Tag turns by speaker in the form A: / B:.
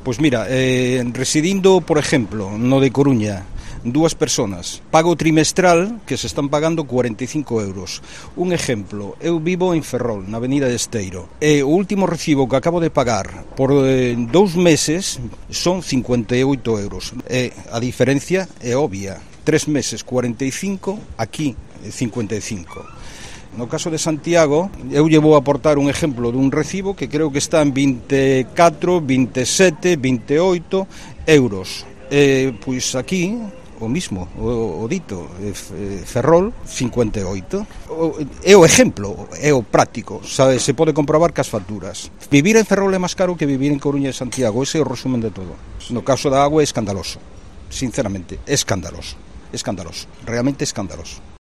A: Pois mira, residindo, por exemplo, no de Coruña, dúas persoas, pago trimestral que se están pagando 45 euros. Un exemplo, eu vivo en Ferrol, na avenida de Esteiro, e o último recibo que acabo de pagar por 2 meses son 58 euros. E a diferencia é obvia, 3 meses 45, aquí 55. No caso de Santiago, eu lle vou aportar un exemplo dun recibo que creo que está en 24, 27, 28 euros. Pois aquí o mismo, o dito, Ferrol, 58. É o exemplo, é o práctico, sabe, se pode comprobar cas facturas. Vivir en Ferrol é máis caro que vivir en Coruña e Santiago, ese é o resumen de todo. No caso da agua é escandaloso, sinceramente, escandaloso, realmente escandaloso.